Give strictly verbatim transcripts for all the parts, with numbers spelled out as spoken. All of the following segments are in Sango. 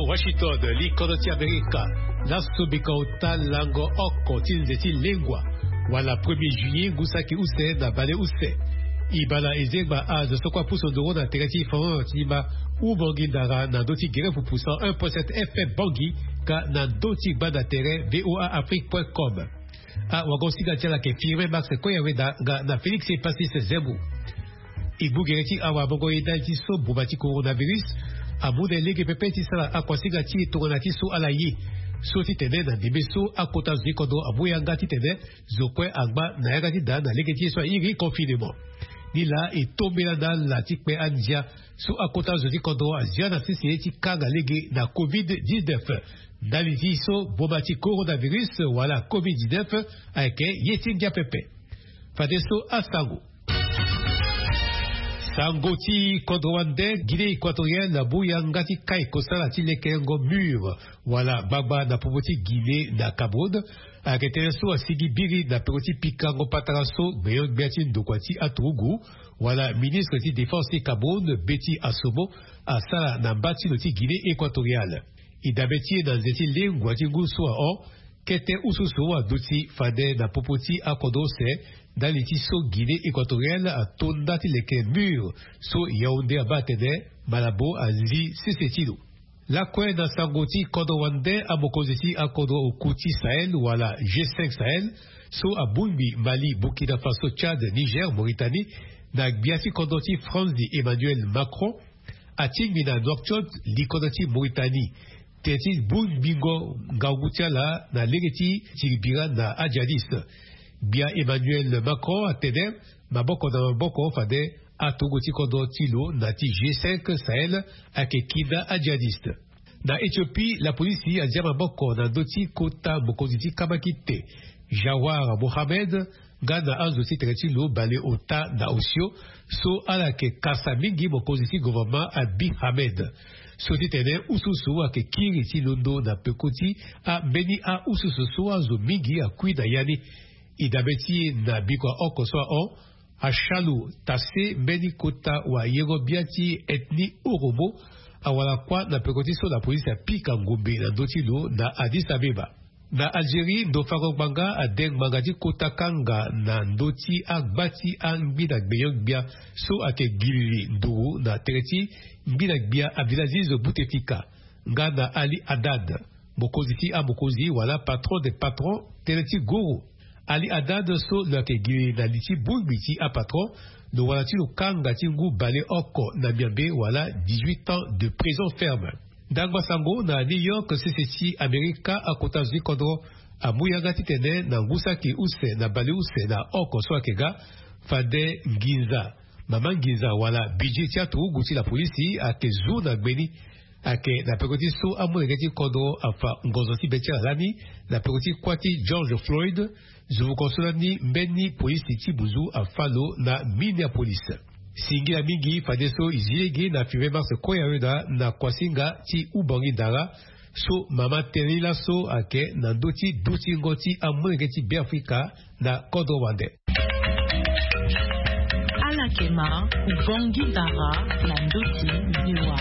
Washington, li kodro ti Amerika. Laso bika ota lango oko ti nze ti lengua, wala premier juillet ngu saki use na baleuse. E bala e zengba azo so kue apusu nduru na tere ti France ti ma. Humongi Ndara na ndö ti gere pupu cent un point sept F M Bangui, ka na ndö ti gbanda tere V O A Afrique point com. Awagosinga ti ala ayeke Firmin Max Koyaweda nga na Félix Epasis Zembo. E gbu gere ti awa amongo e ndali ti so boma ti coronavirus amu na e lege pepe ti sara akuasinga ti e tongana ti so ala ye. So titene na ndembe so akota zo ti kodro amu yanga titene zo kue angba na yanga ti da na lege ti ye so airi confinement. Ni laa e tombela na ala ti kpe andia so akota zo ti kodro azia na sese ti kanga lege na covid dix-neuf. Ndali ti so boma ti coronavirus wala covid dix-neuf ayeke ye ti ngia pepe. Fadeso asango. Sango ti kodro wande, Guinée Équatoriale amu yanga ti kai kosala ti lekerengo mur wala gbagba na popo ti Guinée na Cameroun. Ayeke tënë so asigi biri na peko ti pikango patara so gbenyo-gbia ti ndokua ti aturugu wala ministre ti défense ti Cameroun, Betty Assomo, asara na mba ti lo ti Guinée Équatoriale. E dabe ti e na nze ti lengua ti ngu so ahon, kete ususu aduti fade na popo ti akodro use ndali ti so Guinée Équatoriale ato nda ti leke mur so Yaoundé abaa atene Malabo azi sese ti lo. Lakue na sango ti kodro wande, amokonzi ti akodro oku ti Sahel wala G cinq Sahel so abongbi Mali, Burkina Faso, Tchad, Niger, Mauritanie, na gbia ti kodro ti France Emmanuel Macron, atingbi na Nouakchott, likodro ti Mauritanie, tene ti bongbingo ngangu ti ala na lege ti tiribira na ajihadiste. Gbia Emmanuel Macron atene maboko na maboko fade aturugu ti kodro ti lo na ti G cinq Sahel ayeke kinda ajihadiste. Na Éthiopie, lapolisi azia maboko na ndö ti kota mokonzi ti kamakite, Jawar Mohamed, nga na azo ti tere ti lo baleota na osio so ala yeke kasa mingi mokonzi ti gouvernement Abiy Ahmed. So ti tene ususu ayeke kiri ti londo na peko ti ambeni aususu so azo mingi akui na ya ni. E dabe ti e na bikua oko so ahon, Achalu Tasse, mbeni kota wayengo-bia ti ethnie Oromo, awara kuâ na peko ti so lapolisi apika ngombe na ndö ti lo na Addis Abeba. Na Algérie, ndo fango ngbanga ade ngbanga ti kota kanga na ndö ti agba ti angbinda gbenyo-gbia so ayeke gilili nduru na tere ti ngbinda gbia avillageuse Bouteflika, nga na Ali Haddad, mokonzi ti amokonzi wala patron des patrons, tënë ti guru. Ali Haddad so lo yeke gi na li ti bongbi ti apatron, lo wara ti lo kanga ti ngu baleoko na miambe wala dix-huit ans de prison ferme. Ndangba sango na New York, sese ti Amerika, akota zo ti kodro amu yanga titene na ngu saki use na baleuse na oko so ayeke ga, fade nginza, mama nginza wala budget ti aturugu ti lapolisi ayeke zu na gbe ni. Ayeke na peko ti so amolenge ti kodro afa ngonzo ti be ti ala lani na peko ti kuâ ti George Floyd, zunvuko so lani mbeni polisi ti buzu afa lo na Minneapolis. Singila mingi fadeso e zi lege na Firmin Max Koyaweda na kuasinga ti Humongi Ndara, so mama tënë ni laso ayeke na ndö ti dutingo ti amolenge ti Beafrika na kodro wande. Ala yeke ma Humongi Ndara na ndö ti V O A.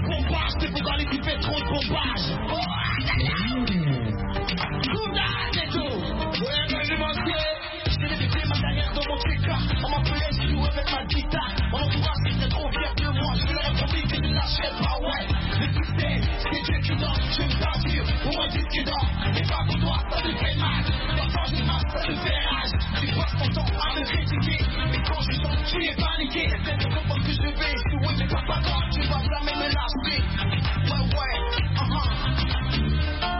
Pompage, c'est pourquoi l'équipe fait trop de pompage. Oh, aïe, aïe, aïe. Tout là, c'est tout. Ouais, mais je m'en sais. Je t'ai débuté ma carrière dans mon T K. On m'appelait Zizou avec ma guitare. Mon entourage était trop fier de moi. Je leur ai promis que je ne lâcherais pas, ouais. Mais tu sais, c'est Dieu qui donne, je ne t'assure. Pour moi, disque d'or, mais pas pour toi, ça te fait mal. Parfois, je marche, ça te fait rage. Tu passes ton temps à me critiquer. Mais quand je chante, tu es paniqué. Peut-être comprendre que je vais échouer, mais pas, pas grave, tu vas jamais me lâcher. Ouais, ouais, uh-huh.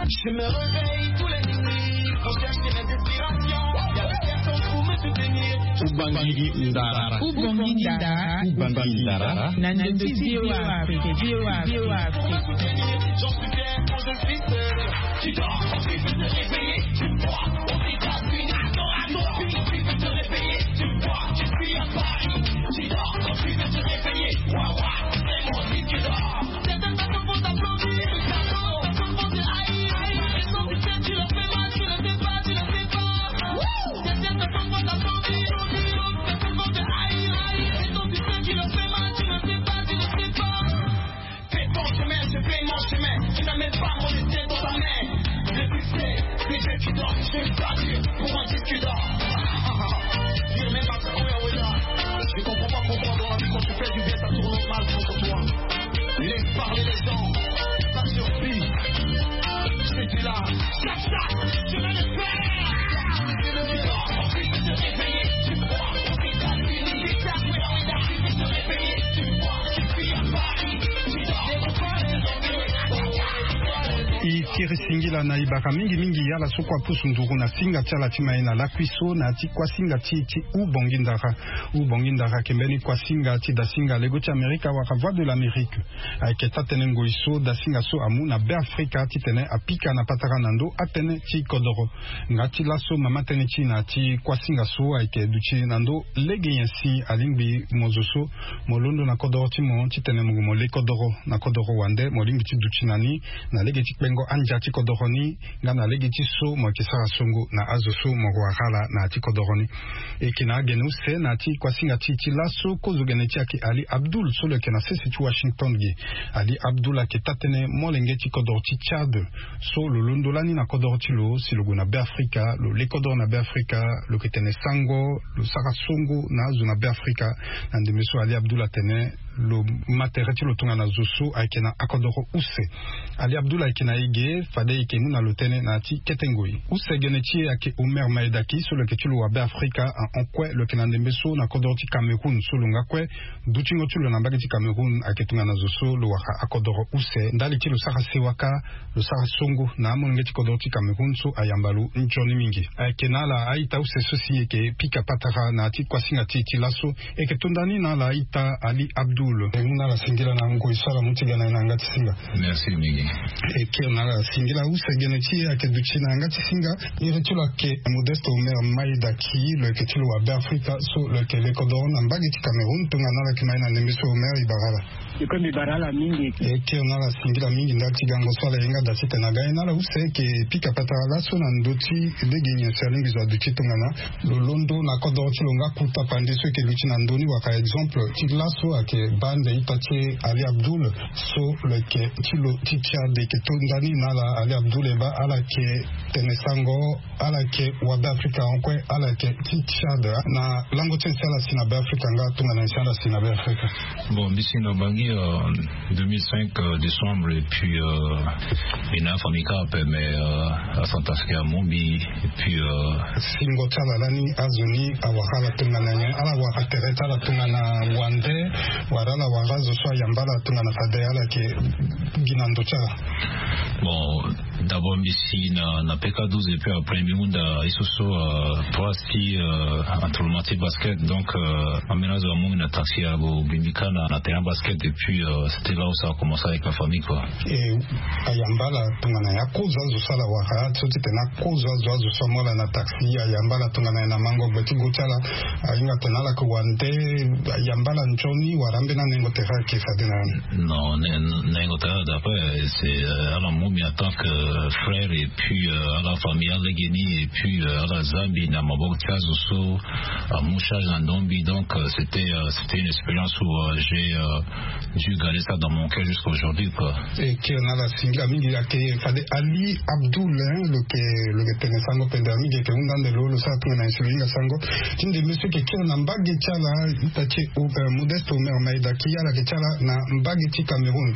Je me réveille tous les nuits pour chercher mes inspirations. Il y a personne pour me soutenir. Humongi Ndara. Humongi Ndara. Humongi Ndara. Na ndö ti V O A Afrique. V O A Afrique. Pour me soutenir, j'en suis fier quand je suis seul. Tu dors, quand tu veux te réveiller, tu me vois aux États-Unis. Attends, attends, tu veux te réveiller, tu me vois, je suis à Paris. Tu dors, quand tu veux te réveiller, ouais, ouais, c'est mon disque d'or. Certaines personnes vont t'applaudir, certaines personnes vont te haïr. Certaines personnes, tu leur fais mal, tu le sais pas, tu le sais pas. Certaines personnes vont t'applaudir. Je ne sais pas dire pour un disque d'or. Dire même à Koya Weda, je comprends pas pourquoi dans la vie, quand tu fais du bien, ça tourne mal contre toi. Laisse parler les gens. Ça suffit. C'est du là. Tchak, tchak, je vais le faire. Tu dors, ensuite de te réveiller, tu bois, ensuite t'as fini. Tu dors, ensuite de te réveiller, tu bois, tu fuis à Paris. Tu dors, ensuite de te réveiller. E kiri singila na e bara mingi mingi ala so kue apusu nduru na singa ti ala ti mai na lakui so na ya ti kuasinga ti e ti Hubongi Ndara. Hubongi Ndara ayeke mbeni kuasinga ti dasinga lego ti Amerika wala Voix de l'Amérique. Ayeke taa-tënë ngoi so dasinga so amu na Beafrika titene apika na patara na ndö atënë ti kodoro. Nga ti laso mama tënë ti e na ya ti kuasinga so ayeke duti na ndö lege nyen si alingbi mo zo so mo londo na kodoro ti mo titene mo gue mo le kodoro na kodoro wande mo lingbi ti duti na ni na lege ti kpengo andia ti kodoro ni nga na lege ti so mo yeke sara songo na azo so mo wara ala na ya ti kodoro ni. E yeke na agene use na ya ti kuasinga ti e ti laso kozo gene ti e ayeke Ali Abdul so lo yeke na sese ti Washington ge. Ali Abdul ayeke taa-tënë molenge ti kodoro ti Tchad so lo londo lani na kodoro ti lo si lo gue na Beafrika, lo le kodoro na Beafrika, lo yeke tene sango, lo sara songo na azo na Beafrika. Na ndembe so Ali Abdul atene lo ma tere ti lo tongana zo so ayeke na akodoro use. Ali Abdul ayeke na e ge, fade e yeke mu na lo tënë na ya ti kete ngoi. Use gene ti e ayeke Omer Maedaki so lo yeke ti lo wa Beafrika ahon kue, lo yeke na ndembe so na kodoro ti Cameroun so lo nga kue dutingo ti lo na mbage ti Cameroun ayeke tongana zo so lo wara akodoro use. Ndali ti lo sara sewa kâ, lo sara songo na amolenge ti kodoro ti Cameroun so ayamba lo nzoni mingi. Ayeke na ala a-ita use so si e yeke pika patara na ya ti kuasinga ti e ti laso. E yeke to nda ni na ala a-ita Ali Abdul. E mu na ala singila na ngoi so ala mu ti ga na e na yanga ti singa. Merci mingi. E kiri na ala singila use gene ti e ayeke duti na yanga ti singa. Iri ti lo ayeke Modeste Omer Maedaki, lo yeke ti lo wa Beafrika so lo yeke le kodoro na mbage ti Cameroun. Tongana ala yeke ma e na ndembe so Omer, e bara ala. E kue mbi bara ala mingi. E kiri na ala singila mingi ndali ti gango so ala ye nga da titene aga e na ala use. E yeke pika patara laso na ndö ti lege nyen si alingbi zo aduti tongana lo londo na kodoro ti lo nga kota pande so e yeke luti na ndö ni wala exemple ti laso ayeke baa nde ita ti e Ali Abdul so lo yeke ti lo ti Tchad. E yeke to nda ni na ala Ali Abdul, e baa ala yeke tene sango, ala yeke wa Beafrika ahon kue, ala yeke ti Tchad. Na lango ti nyen si ala si na Beafrika nga tongana nyen si ala si na Beafrika? Bon, mbi si na Bangui, euh, deux mille cinq, euh, décembre, et puis, euh, mbi na afamille kâ ape, mais, euh, aCentrafricain amu mbi, et puis, euh, singo ti ala lani azo ni awara ala tongana nyen? Ala wara tere ti ala tongana wande, wala ala wara azo so ayamba ala tongana fade ala yeke gi na ndo ti ala? Bon, d'abord mbi si na, na P K douze, et puis après mbi hunda ye so so, euh, trois ti, euh, entraînement ti basket. Donc, euh, ambeni azo amu mbi na taxi ague gi mbi kâ na, na terrain basket, et puis, euh, c'était là où ça a commencé avec la famille, quoi. E ayamba ala tongana nyen? Akozo azo so ala wara so titene akozo azo, azo so amu ala na taxi, ayamba ala tongana nyen na mango gbe ti go ti ala? Ahinga atene ala yeke wande, ayamba ala nzoni wala ambeni anengo tere ayeke fade na ni? Non, nengo tere, d'après, c'est, euh, ala mu mbi en tant que frère, et puis, euh, ala famille alege ni, et puis, euh, ala za mbi na maboko ti azo so amu charge na ndo mbi. Donc, euh, c'était, euh, c'était une expérience où, euh, j'ai, euh, dû garder ça dans mon cœur jusqu'à aujourd'hui, quoi. E kiri na ala singila mingi. Ayeke fade Ali Abdul, hein, lo yeke, lo yeke tene sango pendere mingi, e yeke hunda ande lo, lo sara tongana nyen si lo hinga sango ti ndembe so e yeke kiri na mbage ti ala, ita ti e, euh, Modeste Omer Maedaki, ala yeke ti ala na mbage ti Cameroun.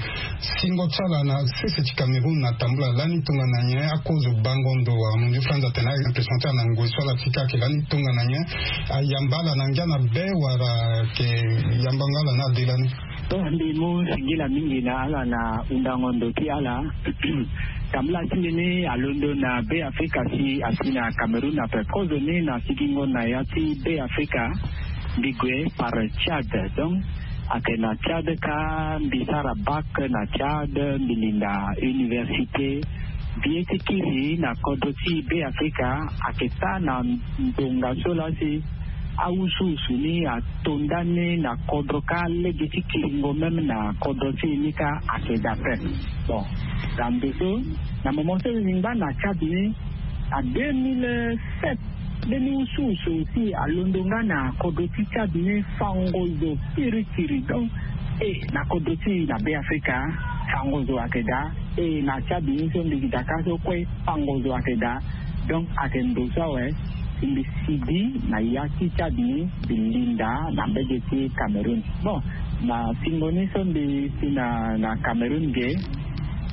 Singo ti ala na sese ti Cameroun atambula lani tongana nyen? Akozo bango ndo wala mundu France atene a-impression ti ala na ngoi so ala fika ayeke lani tongana nyen? Ayamba ala na ngia na be wala ayeke yambango ala na ade lani? Bon, mbi mu singila mingi na ala na hundango ndo ti ala. Tambula ti mbeni alondo na Beafrika si asi na Cameroun ape. Kozo ni na sigingo na ya ti Beafrika, mbi gue par Tchad. Donc, ayeke na Tchad kâ, mbi sara bac na Tchad, mbi linda université. Mbi ye ti kiri na kodro ti Beafrika ayeke taa na ndonga so laa si awusuwusu ni ato ndani na kodro kâ, lege ti kiringo même na kodro ti e ni kâ ayeke daa ape. Bon, na ndo so, na moment so e ngba na Tchad ni, na deux mille sept, mbeni wusuwusu aussi alondo nga na kodro ti Tchad ni, fango zo kirikiri. Donc, e, na kodro ti e na Beafrika, fango zo ayeke daa. E, na Tchad ni so mbi gi daa kâ so kue, fango zo ayeke daa. Donc ayeke ndo so awe si mbi sigi na ya ti tchad ni mbi linda na mbege ti Cameroun. Bon, na singo ni so mbi si na na Cameroun ge,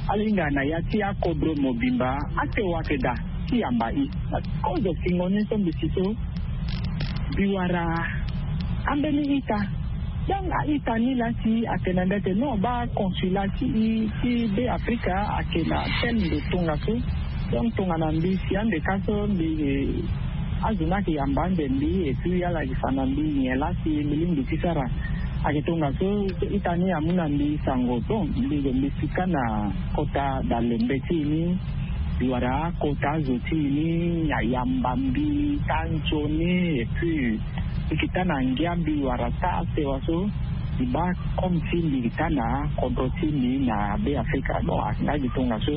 ala hinga na ya ti akodro mobimba ate wate daa ti yamba i. Kozo singo ni so mbi si so mbi wara ambeni ita. Donc a ita ni laa si atene na mbi ete non, baa consulat ti i ti Be Afrika ayeke na tel ndo tongaso. Donc tongana mbi si ande ka so mbi, azo ni ayeke yamba ande mbi et puis ala yeke fa na mbi nyen laa si mbi lingbi ti sara. Ayeke tongaso ita ni amu na mbi sango. Bon, mbi gue mbi si kâ na kota dalembe ti e ni. Mbi wara akota azo ti e ni ayamba mbi taa nzoni et puis mbi yeke taa na ngia mbi wara taa sewa so. Mbi baa comme si mbi yeke taa na kodro ti mbi na Be Afrika. Bon, ayeke nga gi tongaso.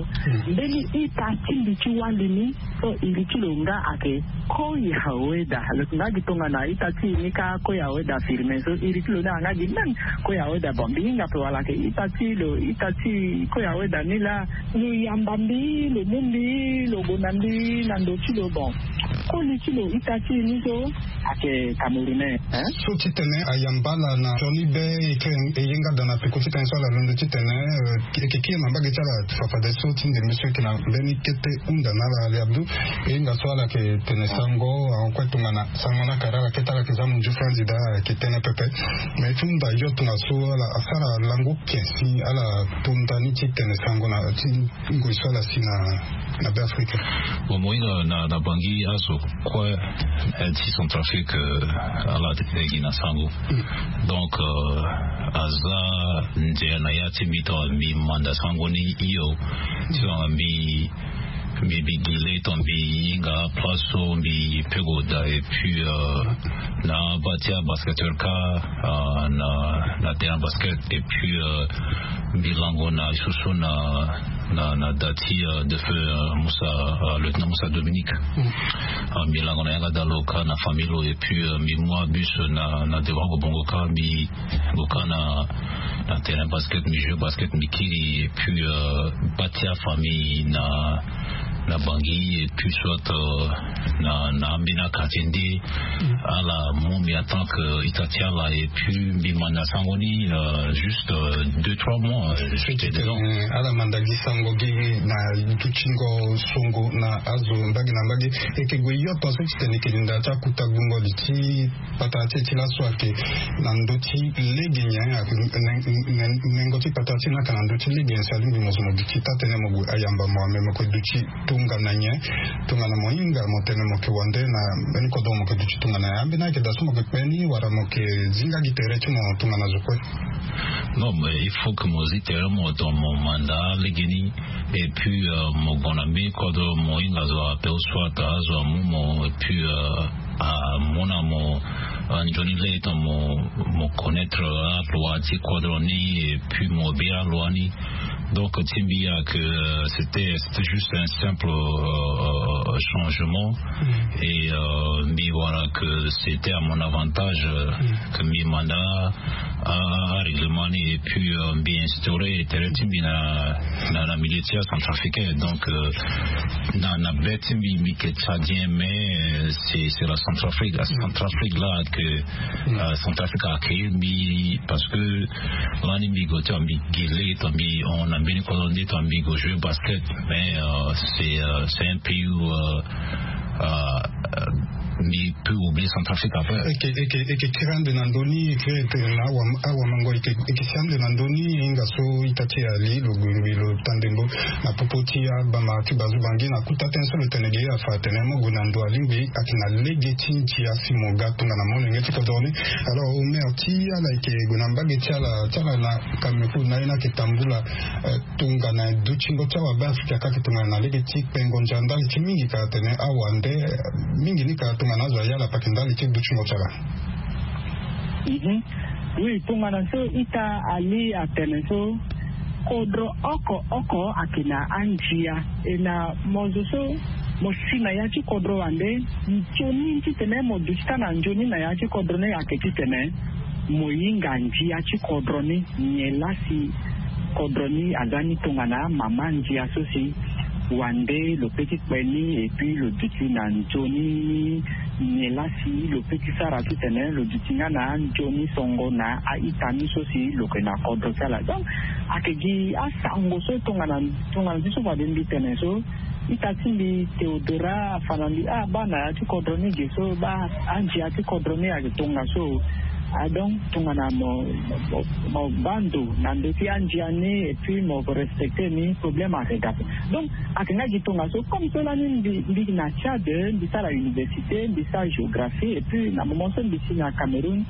Mbeni ita ti mbi ti wali ni so iri ti lo nga ayeke Koya Weda. Lo yeke nga gi tongana ita ti e ni kâ Koya Weda Firmin so iri ti lo ni ayeke nga gi même Koya Weda. Bon, mbi hinga ape wala ayeke ita ti lo, ita ti Koya Weda ni laa lo yamba mbi, lo mu mbi, lo gue na mbi na ndo ti lo. Bon, koli ti lo ita ti e ni so ayeke Camerounais, hein? So titene ayamba ala na sioni be, e kiri e ye nga daa na peko titene so ala londo titene, euh, e yeke kiri na mbage ti ala fafadeso ti ndembe so e yeke na mbeni kete hunda na ala, Ali Abdou. E hinga so ala yeke tene sango, ahon kue tongana sango ni akara ala kete ala yeke za munzu franzi daa, ala yeke tene pepe. Mais ti hunda yo tongaso ala asara lango ken si ala to ndani ti tene sango na ti ngoi so ala si na, na Be Afrika. Bon, mo hinga na, na Bangui azo kue, eh, ti Centrafrique, eh, ala tene gi na sango. Donc, eh, aza ndia na ya ti mbi tongana mbi manda sango ni hio. Tongana mbi, mbi, mbi gi le tongana mbi hinga place so mbi peut gue daa et puis, eh, na ba ti abasketteur kâ, eh, na, na terrain basket et puis, eh, mbi lango na susu na, na, na da ti, euh, défunt, euh, Moussa, euh, lieutenant Moussa Dominique. Euh, mbi lango na yanga daa lo kâ na famille lo et puis, euh, mbi mu abus na, na devant Bobongo kâ mbi gue kâ na, na terrain basket, mbi joue basket, mbi kiri et puis, euh, ba ti afamille na, na Bangui et puis soit, euh, na, na ambeni quartier nde ala mu mbi en tant que ita ti ala et puis mbi manda sango ni, euh, juste, euh, deux trois mois, euh, j'étais dedans. Eh, ala manda gi sango gi na dutingo songo na azo mbage na mbage. E yeke gue yo tongaso titene e yeke linda ti akuta gbungo li ti patara ti e ti laso ayeke na ndö ti lege nyen? Nengo ti patara ti e ni ayeke na ndö ti lege nyen si alingbi mo zo mo duti taa tënë mo gue ayamba mo, ame mo yeke duti tongana nyen? Tongana mo hinga mo tene mo yeke wande na mbeni kodro mo yeke duti tongana nyen? Ambeni ayeke daa so mo yeke kpe ni wala mo yeke zi nga gi tere ti mo tongana zo kue? Non, mais il faut que mo zi tere mo tongana mo manda legeni. Et puis, euh, mo gue na mbeni kodro mo hinga zo ape ou soit azo amu mo et puis, euh, amu na mo, euh, nzoni lege tongana mo, mo connaître, euh, aloi ti kodro ni et puis mo bira aloi ni. Donc ti mbi ayeke, euh, c'était, c'était juste un simple, euh, changement. Et, euh, mbi wara que c'était à mon avantage, euh, que mbi manda a, a, a règlement ni et puis, euh, mbi instauré tere ti mbi na, na, na milieu ti acentrafricain. Donc, euh, na, na be ti mbi, mbi yeke tchadien, mais, euh, c'est, c'est la Centrafrique. La Centrafrique là que, euh, Centrafrique a accueilli mbi parce que lani mbi gue ti mbi gi le ti mbi hon na mbeni kodro nde ti mbi gue jouer basket. Mais, euh, c'est, euh, c'est un pays où, euh, euh, euh, mbi peut oublier Centrafrique après. Eke, eke, eke kiri ande na ndö ni, eke kiri ande na awa, awa mango, eke, eke si ande na ndö ni, hinga so ita ti e ali lo gue ngbi lo tande ndö na popo ti abama ti bazu Bangui na kuta tënë so lo tene gi afa atene mo gue na ndo alingbi ayeke na lege ti ndia si mo ga tongana molenge ti kodro ni. Alors Omer, ti ala yeke gue na mbage ti ala, ti ala na Cameroun na ye ni ayeke tambula, eh, tongana dutingo ti awa Beafrika kâ ayeke tongana na lege ti kpengo ndia ndali ti mingi ka atene awa nde, eh, mingi ni ka tongana azo aya ala pake ndali ti dutingo ti ala. Mhm. Oui, tongana so ita ali atene so, kodro oko oko ayeke na andia. E na mo zo so mo si na ya ti kodro wande, nzoni titene mo duti taa na nzoni na ya ti kodro ni ayeke titene mo hinga ndia ti kodro ni, nyen laa si kodro ni aza ni tongana mama ndia so si wande lo pe ti kpe ni, et puis lo duti na nzoni ni. Nyen lasi lo pe ti sara titene lo duti nga na nzoni songo na a-ita ni so si lo yeke na kodro ti ala. Donc ayeke gi asango so tongana tongana ti so fade mbi tene so, ita ti mbi Théodora afa na mbi, ah, baa na ya ti kodro ni ge so, baa andia ti kodro ni ayeke tongaso. Ah, donc tongana mo mo baa ndo na ndö ti andia ni et puis mo respecter ni, problème ayeke ga ape. Donc ayeke nga gi tongaso. Comme so lani mbi mbi na Tchad, mbi sara université, mbi sara géographie, et puis na moment so mbi si na Cameroun,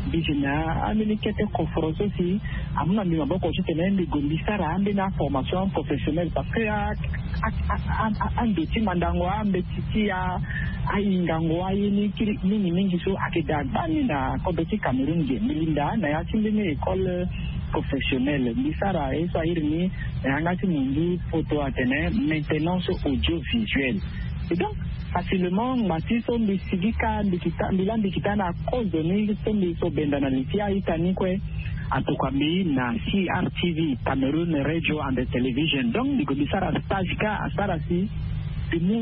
mbi si na ambeni kete koforo so si amu na mbi maboko titene mbi gue mbi sara ambeni aformation professionnelle, parce que a a a a ando ti mandango ambeti ti a ahingango aye ni kiri mingi mingi so ayeke daa gbani na kodro ti Cameroun ge. Mbi linda na ya ti mbeni école professionnelle, mbi sara ye so airi ni na yanga ti monzi poto atene maintenance audiovisuelle. Et donc facilement ngba ti so mbi sigi kâ mbi kita mbi laa mbi kita na kozo ni so mbi so benda na li ti a-ita ni kue. Atokua mbi na C R T V, Cameroon Radio and Television. Donc mbi gue mbi sara stage kâ asara si mbi mu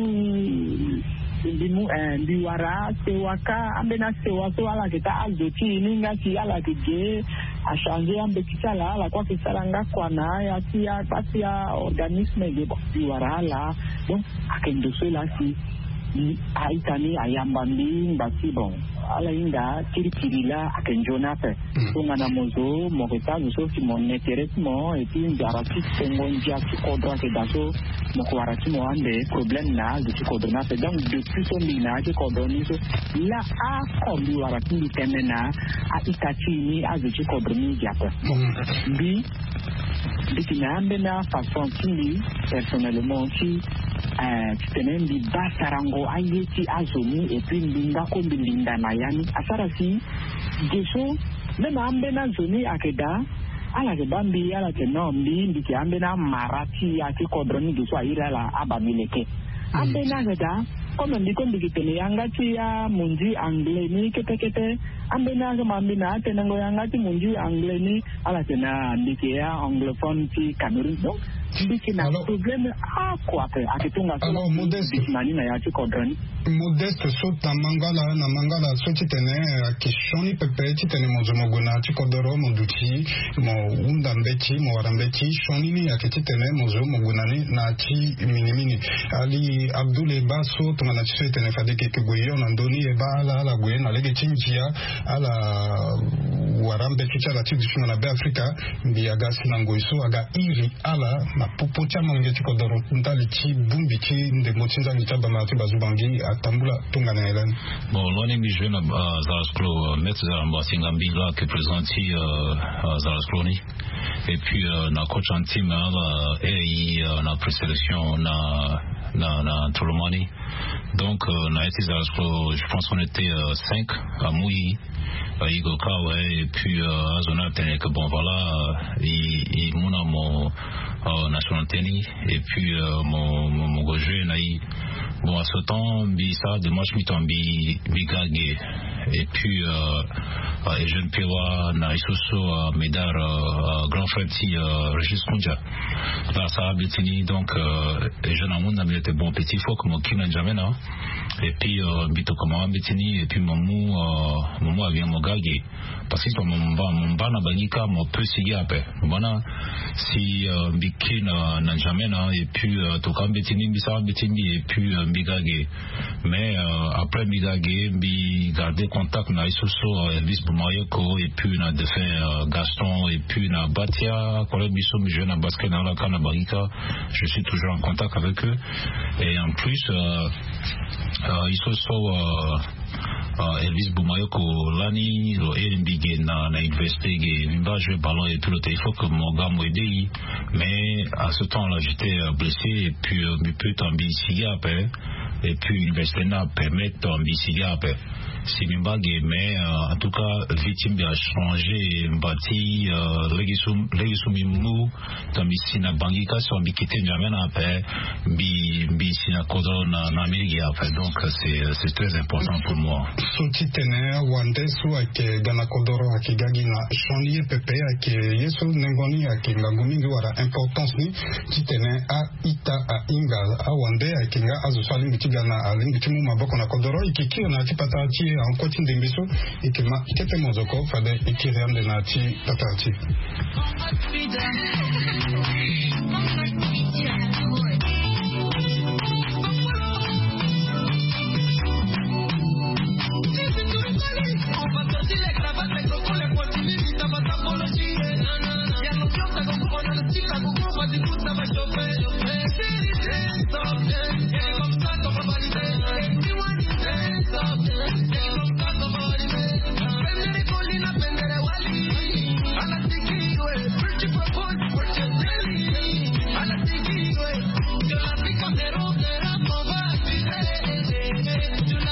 mbi mu eh, mbi wara sewa kâ. Ambeni asewa so ala yeke taa azo ti e ni nga si ala yeke ge, achanger ambeti ti ala, ala kue ayeke sara nga kua na aya ti akpasi a-organisme ge. Bon, mbi wara ala. Donc ayeke ndo so laa si a-ita ni ayamba mbi ngba ti bon, ala hinga kirikiri laa ayeke nzoni ape. Tongana mo zo mo yeke taa zo so si mo na intérêt ti mo, et puis nzara ti songo ndia ti kodro ayeke daa so, mo yeke wara ti mo ande problème na azo ti kodro ni ape. Donc depuis so mbi na ya ti kodro ni so, laa ako mbi wara ti mbi tene na a-ita ti e ni azo ti kodro ni ge ape. Mbi mbi yeke na ambeni afaçon ti mbi personnellement ti eh, titene mbi baa sarango aye ti azo ni, et puis mbi nga kue mbi linda na ya ni asara si ge so même ambeni azo ni ayeke daa. Ala yeke baa mbi ala yeke non mbi mbi yeke ambeni amara ti ya ti kodro ni ge so airi ala abaa mbi leke. Ambeni ayeke daa. Comme mbi kue mbi yeke tene yanga ti amonzi anglais ni kete kete. Ambeni ayeke ma mbi na atenengo yanga ti monzi anglais ni. Ala tene ah mbi yeke a-anglophone ti Cameroun. Donc mbi yeke na problème oko ape. Ayeke tongaso. Alors Modeste, mbi yeke na ni na ya ti kodro ni. Modeste so na mangala na mangala so titene ayeke sioni pepe titene mo zo mo gue na ya ti kodoro mo duti mo hunda mbeti mo wara mbeti, sioni ni ayeke titene mo zo mo gue na ni na ya ti minimini. Ali Abdoul e baa so tongana ti so e tene fade e yeke gue hio na ndö ni, e baa ala ala gue na lege ti ndia, ala wara mbeti ti ala ti dutingo na Be Afrika. Mbi aga si na ngoi so aga iri ala na popo ti amolenge ti kodoro ndali ti bongbi ti ndembo ti nzangi ti abamara ti bazubangi atambula tongana nyen lani? Bon, lo ni mbi jouer na euh, Zara Sklo, euh, maître Zara Mbasinga mbi la ke président ti euh, euh, Zara Sklo ni. Et puis euh, na coach en team hein, euh, et euh, na présélection na na na Tolomani. Donc euh, na eti Zara Sklo, je pense qu'on était euh, cinq à Mouyi. Euh, Igo Kawe, et puis euh, azo na atene que bon voilà, euh, il, il muna mon euh, nationalité ni, et puis euh, mon mon mon goje na i. Bon, à ce temps mbi ça de match mi tombi mbi gage. Et puis euh, euh, et jeune Pewa na isoso euh, Medar euh, euh, grand frère ti euh, Régis Kunja. Là ça a bétini donc euh, et jeune amoun na mbi était bon petit, faut que mon kina jamais na. Et puis euh, mbi to comment bétini et puis mamu euh, mamu avion mo gage. Parce que mo mba mo mba na bangi ka mo pe sigi ape. Mo bana si euh, mbi ke na na jamais na et puis euh, to ka mbeti ni mbi sa mbeti mbi et puis euh, mbi gage. Mais euh, après mbi gage mbi garder contact na isoso euh, Elvis Bumayoko et puis na défunt euh, Gaston et puis na Batia, collègue biso mbi jouer na basket na ala ka na bangi ka. Je suis toujours en contact avec eux. Et en plus euh, euh, isoso euh, euh, Elvis Bumayoko lani lo iri mbi ge na, na université ge mbi mba jouer ballon et tout le temps. Il faut que mo ga mo aide i. Mais à ce temps là j'étais euh, blessé et puis euh, mbi peut tombi sigi ape. Et puis université na permettre tombi sigi ape. Si mbi mbage mais en tout cas vie ti mbi achangé mba ti lege so mbi mu. Donc mbi si na bangi ka so mbi kite njame na ape. Mbi mbi si na kodro na amerike ape donc c'est très important pour moi. So ti tene awande so ayeke ga na kodoro ayeke ga gi na chani ye pepe ayeke ye so nengo ni ayeke ngangu mingi wala importance ni ti tene a ita ahinga awande ayeke nga azo so alingbi ti ga na alingbi ti mu maboko na kodoro e yeke kiri na ya ti patara ti e ankoi ti ndembe so e yeke ma kete mozoko fade e kiri ande na ya ti patara ti e.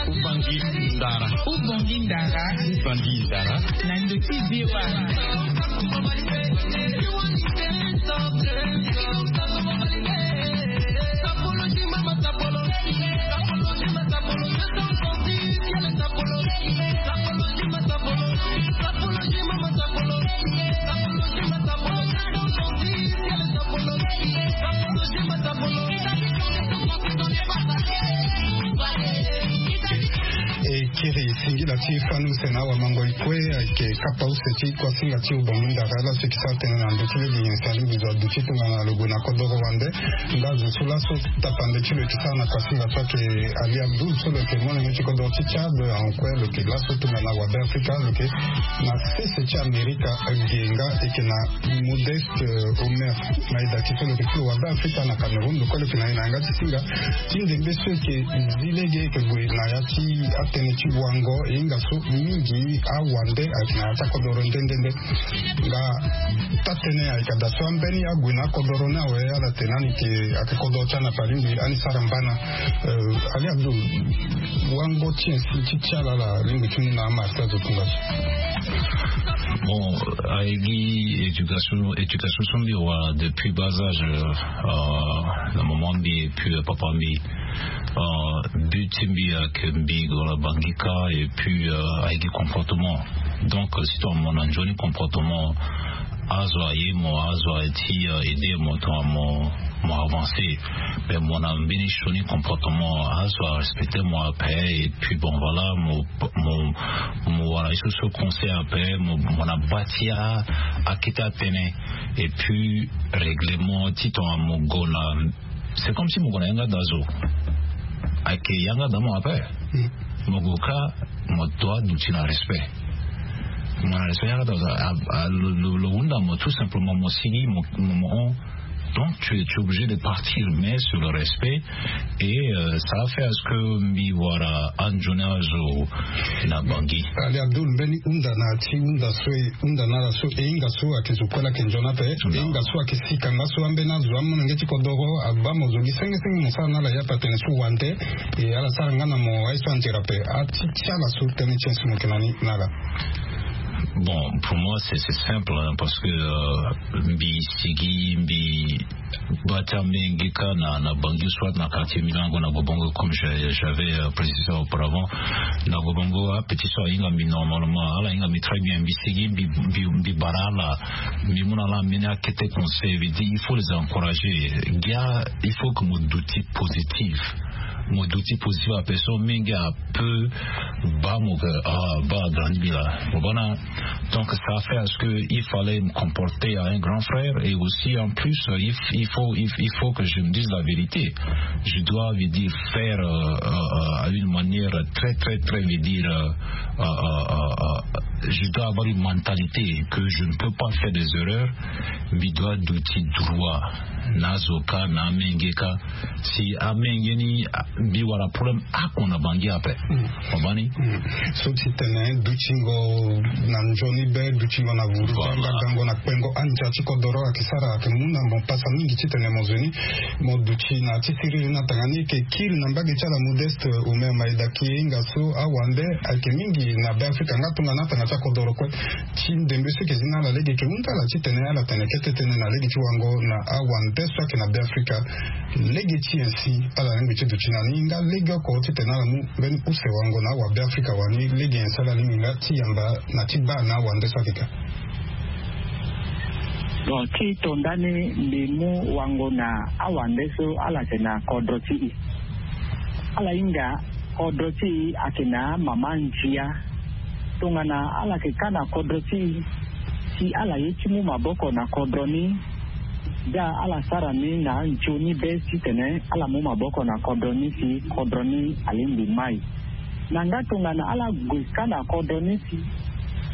Ubangi ndara. Ubangi ndara. Ubangi ndara. Na ndö ti V O A. E kiri singila ti fani use na awamango e kue ayeke kapa use ti kuasinga ti ubongi ndara laso e yeke sara tënë na ndö ti lege nyen si alingbi zo aduti tongana lo gue na kodoro wande. Nga zo so laso tapande ti lo yeke sara na kuasinga so ayeke Ali Abdoul so lo yeke molenge ti kodoro ti Tchad ankue lo yeke laso tongana wabe Afrika lo yeke na sese ti Amerika ge nga e yeke na Modeste Omer. Na e dati so lo yeke ti lo wabe Afrika na Cameroun lo kue lo yeke na e na yanga ti singa ti ndembe so e yeke zi lege e yeke gue na ya ti atënë ti wango e hinga so mingi awande ayeke na ya ti akodoro nde nde nde. Nga taa-tënë ayeke daa so ambeni ague na akodoro ni awe ala tene ani yeke ayeke kodoro ti ala na fa alingbi ani sara mbana. Ali Abdoul, wango ti nyen si ti ti ala ala alingbi ti mu na amara ti azo tongaso? Bon, aye gi éducation éducation so mbi wara depuis bas âge na maman mbi et puis papa mbi. But ti mbi ayeke mbi gue na bangi ka et puis aye gi comportement. Donc si tongana mo na nzoni comportement azo aye mo azo aye ti aide mo tongana mo mo avancer. Mais mo na mbeni sioni comportement azo arespecter mo ape et puis bon voilà mo mo mo wara ye so so conseil ape mo na bâ ti akete atene. Et puis règlement ti tongana mo gue na c'est comme si mo gue na yanga daa zo. Ayeke yanga daa mo ape. Mo gue ka mo doit duti na respect. Mo na respect yanga daa zo. Lo hunda mo tout simplement mo sigi mo hon. Donc tu es obligé de partir mais sur le respect. Et ça a fait à ce que mbi wara anzoni azo na bangi. Ali Abdoul, mbeni hunda na ti hunda so e hunda na ala so e hinga so ayeke zo kue la ayeke nzoni ape. E hinga so ayeke sika nga so ambeni azo amolenge ti kodoro abaa mo zo gi senge senge mo sara na ala ya pe atene so wande. E ala sara nga na mo aye so anzere ape ati ti ala so tënë ti nyen si mo yeke na ni na ala? Bon, pour moi c'est simple parce que mbi sigi mbi bâ ti amenge ka na bangi soit na quartier milango na gobongo comme j'avais précisé auparavant. Na gobongo apetit so ahinga mbi normalement ala hinga mbi très bien mbi sigi mbi bara ala. Mbi mu na ala mbeni akete conseil veut dire il faut les encourager. Gia il faut que mo duti positif. Mo duti positif ape so mingi ape baa mo ke ah baa agrandi mbi laa. Mo baa na. Donc ça fait à ce que il fallait me comporter à un grand frère et aussi en plus il faut il faut que je me dise la vérité. Je dois veut dire faire à une manière très très très veut dire je dois avoir une mentalité que je ne peux pas faire des erreurs. Mbi doit duti droit na azo ka na amenge ka. Si amenge ni Mbi wara problème oko na bangi ape. Obani so ti tene dutingo na nzoni be, dutingo na vuru, voilà, gango na kpengo andia ti kodoro ayeke sara ayeke mu na mo pasa mingi ti tene mo zo ni mo duti na ti siriri na tanga ni. Eke kiri na mbage ti ala Modeste Omer Maeda, ki hinga so awande ayeke mingi na Beafrika nga tongana atanga ti akodoro kue. Ti ndembe so eke zi na ala lege eke hunda ala ti tene ala tene kete tënë na lege ti wango na awande so ayeke na Beafrika. Lege ti nyen si ala lingbi ti duti na ni nga lege oko ti tene ala mu mbeni use wango na awabeafrika wani? Lege nyen si ala lingbi nga ti yamba na ti baa na awande so ayeke ka? Bon, ti to ndani mbi mu wango na awande so ala yeke na kodro ti e. Ala hinga kodro ti e ayeke na mama ndia. Tongana ala yeke ka na kodro ti e, si ala ye ti mu maboko na kodro ni, da ala sara ni na nzoni be titene ala mu maboko na kodro ni si kodro ni alingbi mai. Na nga tongana ala gue ka na kodro ni si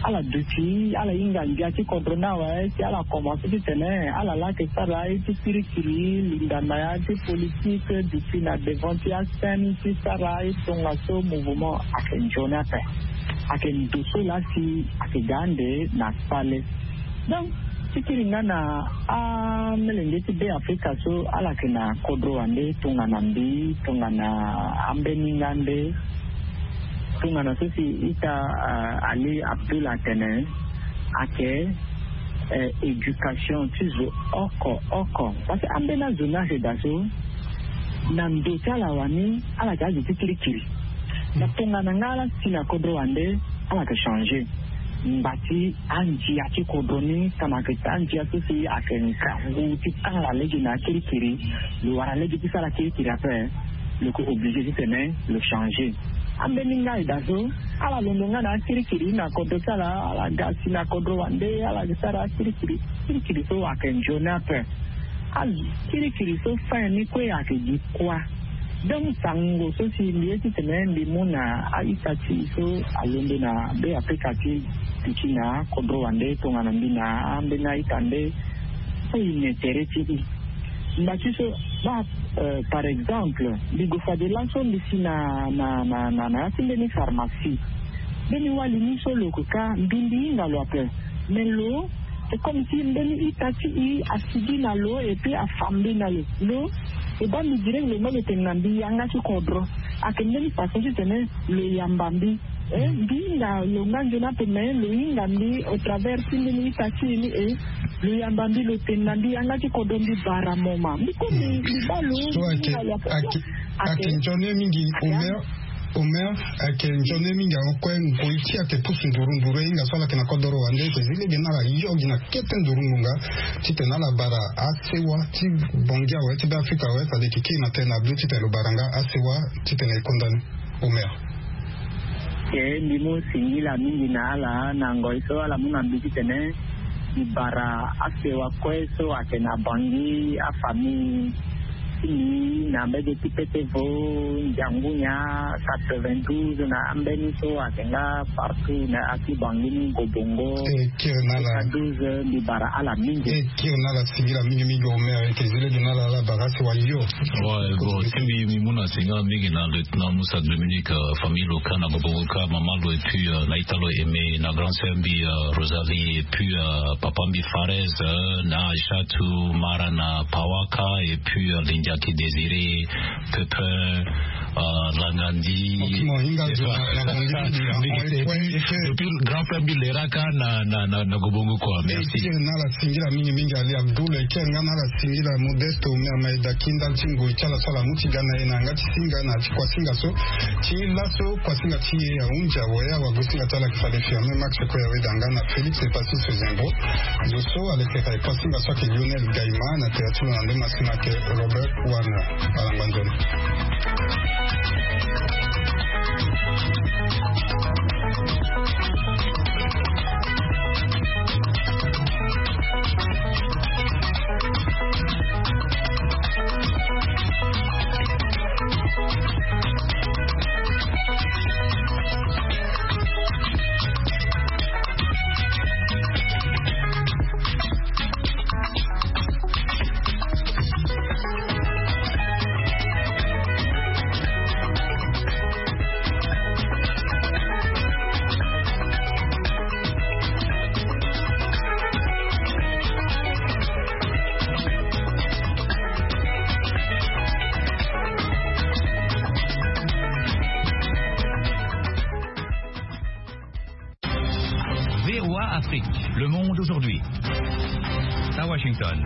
ala duti, ala hinga ndia ti kodro ni awe, si ala komanse titene ala laa yeke sara ye ti kirikiri, linda na ya ti politike, duti na devant ti asin ti sara ye tongaso mouvement ayeke nzoni ape. Ayeke ndo so laa si ayeke ga ande na sale. Donc ti kiri nga na amolenge ti Beafrika so ala yeke na kodro wande tongana mbi, tongana ambeni nga nde, tongana so si ita, ah, Ali Abdul atene, ayeke, eh, éducation ti zo oko oko. Parce que ambeni azo ni ayeke daa so na ndo ti ala wani ala yeke azo ti kirikiri. Na tongana nga ala si na kodro wande ala yeke changer. Ngba ti andia ti kodro ni, tongana ayeke andia so si ayeke ngangu ti kanga lege na akirikiri, lo wara lege ti sara kirikiri ape, lo yeke obligé titene lo changer. Ambeni nga e daa so ala londo nga na akirikiri na kodro ti ala, ala ga si na kodro wande ala yeke sara akirikiri. Kirikiri so ayeke nzoni ape. Akirikiri so fin ni kue ayeke gi kuâ. Donc sango so si mbi ye titene mbi mu na a-ita ti e so alondo na Beafrika ti duti na kodro wande tongana mbi na ambeni a-ita nde, so e ne tere ti e. Ngba ti so baa, euh, par exemple mbi gue fade laso mbi si na, na, na, na, na ya ti mbeni pharmacie. Mbeni wali ni so lo yeke ka mbi, mbi hinga lo ape. Mais lo, c'est comme si mbeni ita ti e asigi na lo et puis afa mbi na lo. Lo, e baa mbi direct lo me lo tene na mbi yanga ti kodro. Ayeke mbeni façon titene lo yamba mbi. Eh, mbi hinga lo nga nzoni ape, mais lo hinga mbi au travers ti mbeni ita ti e ni, eh, lo yamba mbi, lo tene na mbi yanga ti kodro, mbi bara moma. Mbi kue mbi, mbi baa lo, so mbi ayeke, hinga lo ape. Ayeke, ayeke nzoni mingi, Omer. Omer, ayeke nzoni mingi, awe kue ngoi ti e ayeke pusu nduru nduru, e hinga so ala yeke na kodoro wande, e yeke zi lege na ala yo gi na kete nduru ngonga titene ala bara asewa ti Bangui awe, ti Beafrika awe, c'est-à-dire e yeke kiri na tënë na bê titene lo bara nga asewa titene e konda ni. Omer. Ke mbi mu singila mingi na ala na ngoi so ala mu na mbi titene mbi bara asewa kue so ayeke na Bangui, afamille ti mbi na mbege ti Petevo, Ndiangunya, quatre-vingt-douze, na ambeni so ayeke nga partout na ya ti Bangui ni, Ngobongo. E kiri na ala. Douze, mbi bara ala mingi. E kiri na ala, singila mingi mingi Omer, e yeke zi lege na ala, ala bara asewa yo. Ouais, bon, ti mbi, mbi mu na singila mingi na lieutenant Moussa Dominique, euh, famille lo ka na Ngobongo ka, mama lo, et puis, euh, na ita lo Aimé, na grand sœur mbi, euh, Rosalie, et puis, euh, papa mbi Farez, euh, na Aïchatou, Mara na Pawaka, et puis, euh, Lindiaki Désiré, Pépin, euh, Langandi. Ok, mo hinga zo na, na Bangui, na, na, na, depuis grand frère mbi Leraka na, na, na, na Ngobongo, quoi. Merci. E kiri na ala, singila mingi mingi Ali Abdoul, e kiri nga na ala, singila Modeste Omer Maeda, ki ndali ti ngoi ti ala so ala mu ti ga na e na yanga ti singa na ti kuasinga so. Ti laso kuasinga ti e ahunzi awe, awagosinga ti ala ayeke fade Firmin Max Koya Wedanga na Félix Epacis Zembo. Zo so alekere kuasinga so ayeke Lionel Gaïma, na tere ti lo na nde masina ayeke Robert Warner. Ala ngba nzoni. Afrique, le monde aujourd'hui. À Washington.